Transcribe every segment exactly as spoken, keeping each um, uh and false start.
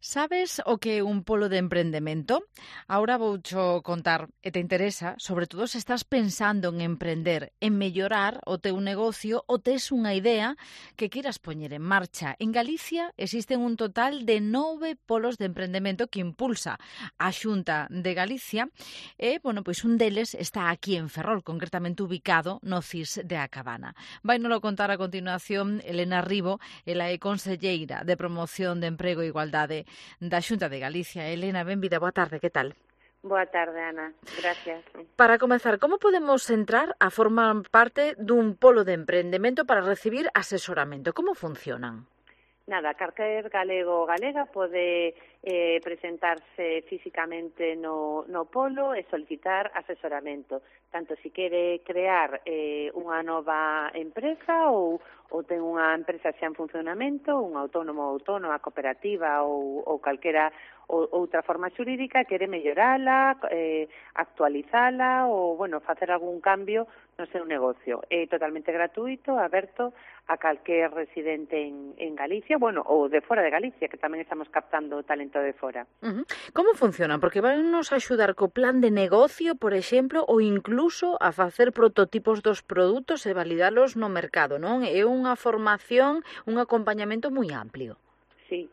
Sabes o que é un polo de emprendemento? Ahora voucho contar e te interesa, sobre todo se estás pensando en emprender, en mellorar o teu negocio ou tes unha idea que queiras poñer en marcha. En Galicia existen un total de nove polos de emprendemento que impulsa a Xunta de Galicia e, bueno, pois un deles está aquí en Ferrol, concretamente ubicado no C I S de A Cabana. Vai nolo contar a continuación Elena Ribo, ela é conselleira de Promoción de Emprego e Igualdade da Xunta de Galicia. Elena, benvida, boa tarde, que tal? Boa tarde, Ana. Gracias. Para comezar, como podemos entrar a formar parte dun polo de emprendemento para recibir asesoramento? Como funcionan? Nada, calquer galego ou galega pode eh, presentarse físicamente no, no polo e solicitar asesoramento, tanto se quere crear eh, unha nova empresa ou, ou ten unha empresa xa en funcionamento, un autónomo ou autónoma, cooperativa ou, ou calquera ou, outra forma xurídica, quere mellorala, eh, actualizala ou, bueno, facer algún cambio no seu negocio. É totalmente gratuito, aberto a calquer residente en, en Galicia, bueno, ou de fora de Galicia, que tamén estamos captando talento de fora. Uh -huh. Como funciona? Porque van nos axudar co plan de negocio, por exemplo, ou incluso a facer prototipos dos produtos e validalos no mercado, non? É unha formación, un acompañamento moi amplio. Sí.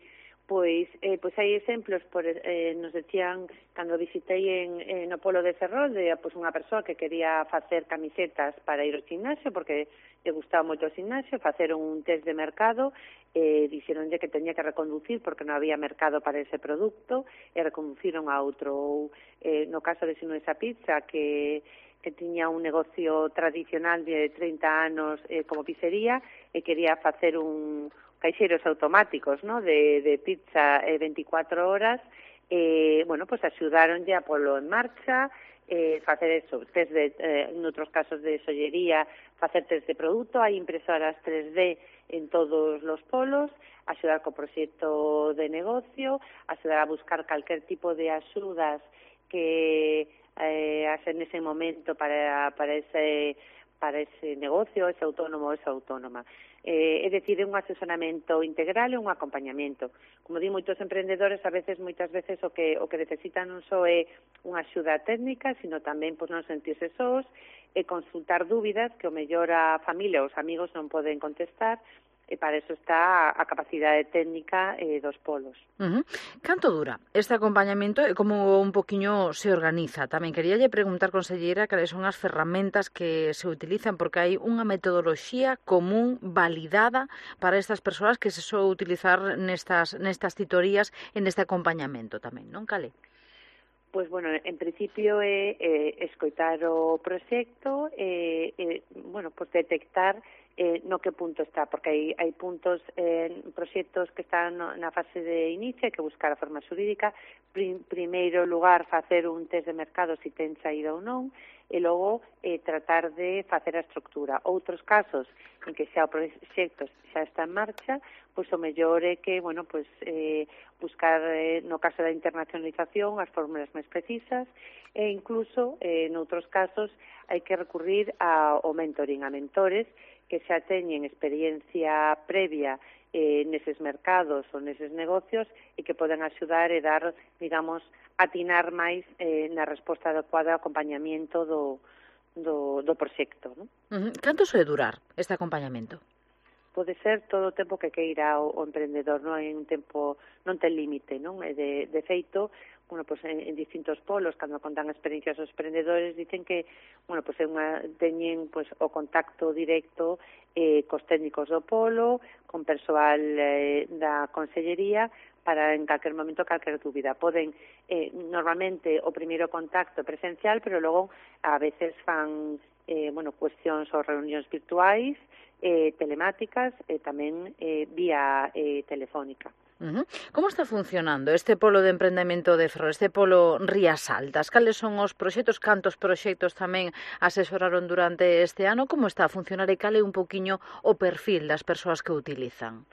Pois, eh, pois hai exemplos, por, eh, nos decían, cando visitei en, en no Polo de Ferrol, de pois, unha persoa que quería facer camisetas para ir ao gimnasio, porque lle gustaba moito o gimnasio, facer un test de mercado, eh, dixeronlle que tenía que reconducir porque non había mercado para ese produto, e reconduciron a outro. Ou, eh, no caso de Sinuesa Pizza, que que tiña un negocio tradicional de trinta anos eh, como pizzería, e quería facer un caixeros automáticos, ¿no?, de, de pizza eh, veinticuatro horas, eh, bueno, pues axudaronlle a polo en marcha, eh, facer eso, test de, eh, en outros casos de sollería, facer test de produto, hai impresoras tres D en todos los polos, axudar co proxecto de negocio, axudar a buscar calquer tipo de axudas que eh, hacen ese momento para, para ese para ese negocio, ese autónomo ou esa autónoma. Eh, é dicir, é un asesoramento integral e un acompañamento. Como di moitos emprendedores, a veces, moitas veces, o que o que necesitan non só é unha axuda técnica, sino tamén pois, non sentirse sós, e consultar dúbidas que o mellor a familia ou os amigos non poden contestar, e para eso está a capacidade técnica eh, dos polos. Uh -huh. Canto dura este acompañamento e como un poquiño se organiza? Tamén queríalle preguntar, conselleira, cales son as ferramentas que se utilizan, porque hai unha metodoloxía común, validada para estas persoas que se soe utilizar nestas, nestas titorías e neste acompañamento tamén, non, Cale? Pois, bueno, en principio é eh, escoitar o proxecto e, eh, eh, bueno, pois detectar eh, no que punto está, porque hai, hai puntos, eh, proxectos que están no, na fase de inicio, hai que buscar a forma xurídica, prim, primeiro lugar facer un test de mercado se ten saída ou non, e logo eh, tratar de facer a estructura. Outros casos en que xa o proxecto xa está en marcha, pois o mellor é que, bueno, pois eh, buscar, eh, no caso da internacionalización, as fórmulas máis precisas, e incluso, eh, noutros casos, hai que recurrir ao mentoring, a mentores que xa teñen experiencia previa eh, neses mercados ou neses negocios e que poden axudar e dar, digamos, atinar máis eh, na resposta adecuada ao acompañamento do, do, do proxecto, non? Uh -huh. Canto soe durar este acompañamento? Pode ser todo o tempo que queira o, o emprendedor, non hai un tempo, non ten límite, non? E de, de feito, bueno, pues en, en distintos polos, cando contan experiencias aos emprendedores, dicen que, bueno, pues é unha, teñen pues, o contacto directo eh, cos técnicos do polo, con persoal eh, da consellería, para en calquer momento, calquer dúbida. Poden, eh, normalmente, o primeiro contacto presencial, pero logo, a veces fan, eh, bueno, cuestións ou reunións virtuais, eh, telemáticas e tamén eh, vía eh, telefónica. Uh -huh. Como está funcionando este polo de emprendemento de Ferrol, este polo Rías Altas? Cales son os proxectos, cantos proxectos tamén asesoraron durante este ano? Como está a funcionar e cal é un poquiño o perfil das persoas que o utilizan?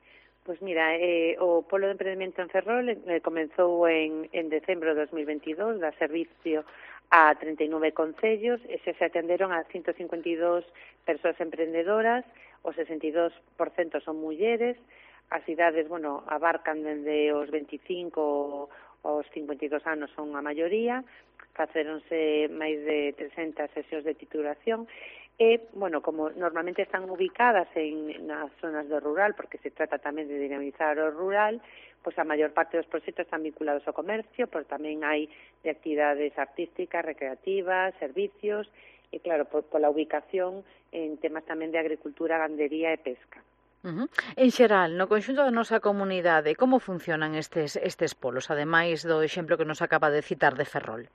Pois mira, eh, o polo de emprendemento en Ferrol eh, comenzou en, en decembro de dos mil veintidós, da servicio a treinta e nove concellos, e se se atenderon a ciento cincuenta e dos persoas emprendedoras, o sesenta e dos por cento son mulleres, as idades, bueno, abarcan dende os veinticinco aos cincuenta e dos anos son a maioría, facéronse máis de trescentas sesións de titulación, e, bueno, como normalmente están ubicadas en nas zonas do rural, porque se trata tamén de dinamizar o rural, pois a maior parte dos proxectos están vinculados ao comercio, pero tamén hai de actividades artísticas, recreativas, servicios, e claro, por, pola ubicación en temas tamén de agricultura, gandería e pesca. Uh-huh. En xeral, no conxunto da nosa comunidade, como funcionan estes, estes polos, ademais do exemplo que nos acaba de citar de Ferrol?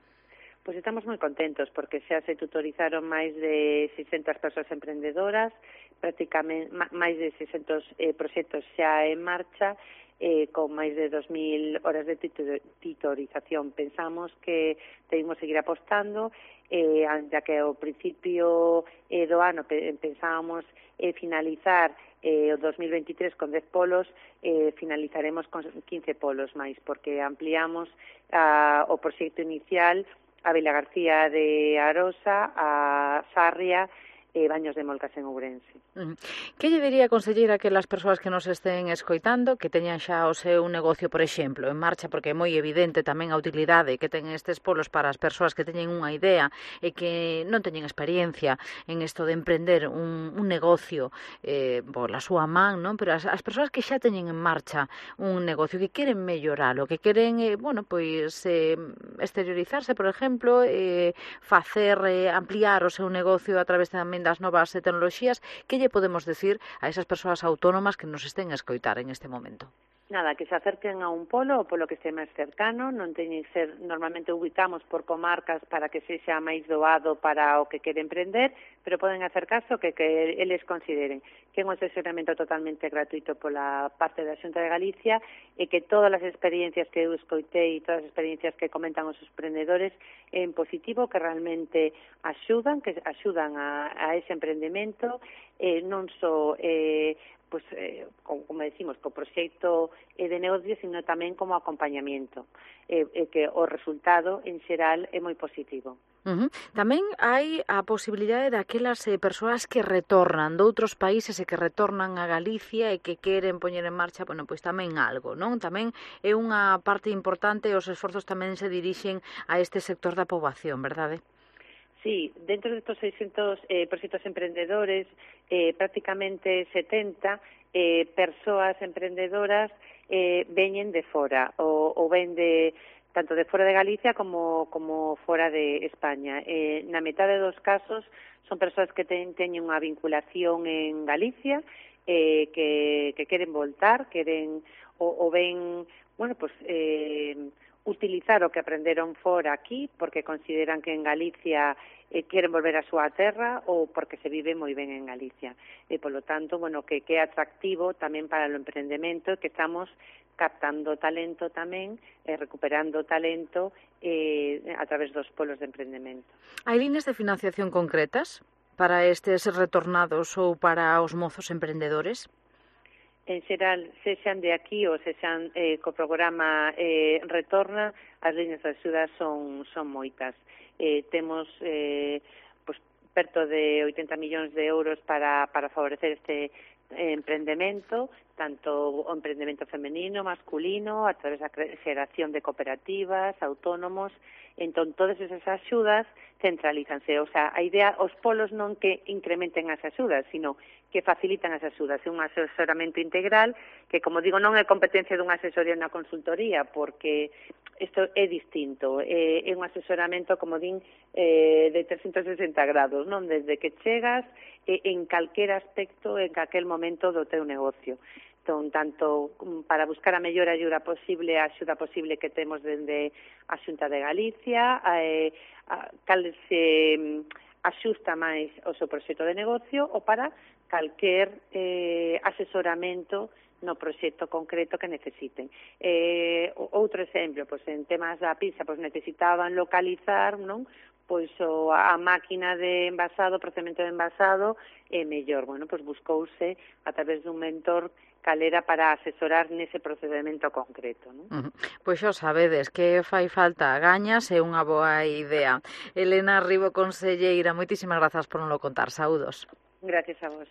Pois estamos moi contentos porque xa se tutorizaron máis de seiscentas persoas emprendedoras, prácticamente máis de seiscentos eh, proxectos xa en marcha, eh, con máis de dos mil horas de tutorización. Pensamos que debemos seguir apostando, eh, ya que ao principio eh, do ano pensábamos eh, finalizar eh, o dos mil veintitrés con dez polos, eh, finalizaremos con quince polos máis, porque ampliamos ah, o proxecto inicial a Vila García de Arosa, a Sarria, e Baños de Molcas en Ourense. Uh-huh. Que lle diría, conselleira, que as persoas que nos estén escoitando, que teñan xa o seu negocio, por exemplo, en marcha, porque é moi evidente tamén a utilidade que ten estes polos para as persoas que teñen unha idea e que non teñen experiencia en isto de emprender un, un negocio eh, pola súa man, non? Pero as, as persoas que xa teñen en marcha un negocio, que queren melloralo, que queren, eh, bueno, pois eh, exteriorizarse, por exemplo, eh, facer, eh, ampliar o seu negocio a través tamén das novas tecnoloxías, que lle podemos decir a esas persoas autónomas que nos estén a escoitar en este momento? Nada, que se acerquen a un polo, o polo que este máis cercano, non teñen que ser, normalmente ubicamos por comarcas para que sexa máis doado para o que quere emprender, pero poden acercarse o que, que eles consideren, que é un asesoramento totalmente gratuito pola parte da Xunta de Galicia e que todas as experiencias que eu escoitei e todas as experiencias que comentan os emprendedores en positivo, que realmente axudan, que axudan a, a ese emprendemento, eh, non só eh, pues, eh, como, como decimos, co proxecto eh, de negocio, sino tamén como acompañamiento, eh, eh, que o resultado en xeral é moi positivo. Uh-huh. Tamén hai a posibilidade daquelas eh, persoas que retornan de outros países e que retornan a Galicia e que queren poñer en marcha, bueno, pois tamén algo, non? Tamén é unha parte importante, os esforzos tamén se dirixen a este sector da poboación, verdade? Sí, dentro de estos seiscentos eh, proxectos emprendedores, eh, prácticamente setenta eh, persoas emprendedoras eh, veñen de fora, ou, ou ven de, tanto de fora de Galicia como, como fora de España. Eh, na metade dos casos son persoas que ten, teñen unha vinculación en Galicia, eh, que, que queren voltar, queren, ou, ou ven, bueno, pues, eh, utilizar o que aprenderon fora aquí porque consideran que en Galicia eh, queren volver a súa terra ou porque se vive moi ben en Galicia. E, polo tanto, bueno, que, que é atractivo tamén para o emprendemento, que estamos captando talento tamén, eh, recuperando talento eh, a través dos polos de emprendemento. Hai líneas de financiación concretas para estes retornados ou para os mozos emprendedores? En xeral, sexan de aquí ou sexan eh, co programa eh, Retorna, as líneas de axuda son, son moitas. Eh, temos eh, pues, perto de oitenta millóns de euros para, para favorecer este eh, emprendemento, tanto o emprendemento femenino, masculino, a través da xeración de cooperativas, autónomos. Entón, todas esas axudas centralízanse. O sea, a idea, os polos non que incrementen as axudas, sino que facilitan as axudas. É un asesoramento integral que, como digo, non é competencia dunha asesoría na consultoría, porque isto é distinto. É, é un asesoramento, como din, eh, de trescentos sesenta grados, non? Desde que chegas eh, en calquer aspecto, en calquer momento do teu negocio. Entón, tanto para buscar a mellor axuda posible, a axuda posible que temos dende a Xunta de Galicia, eh, a, cal se axusta máis o seu proxecto de negocio, ou para calquer eh, asesoramento no proxecto concreto que necesiten. Eh, outro exemplo, pois en temas da pizza, pois necesitaban localizar, non? Pois o, a máquina de envasado, o procedimento de envasado é mellor. Bueno, pois buscouse a través dun mentor calera para asesorar nese procedimento concreto, non? Uh-huh. Pois xa sabedes que fai falta gañas e unha boa idea. Elena Ribo, conselleira, moitísimas grazas por nos lo contar. Saúdos. Gracias a vos.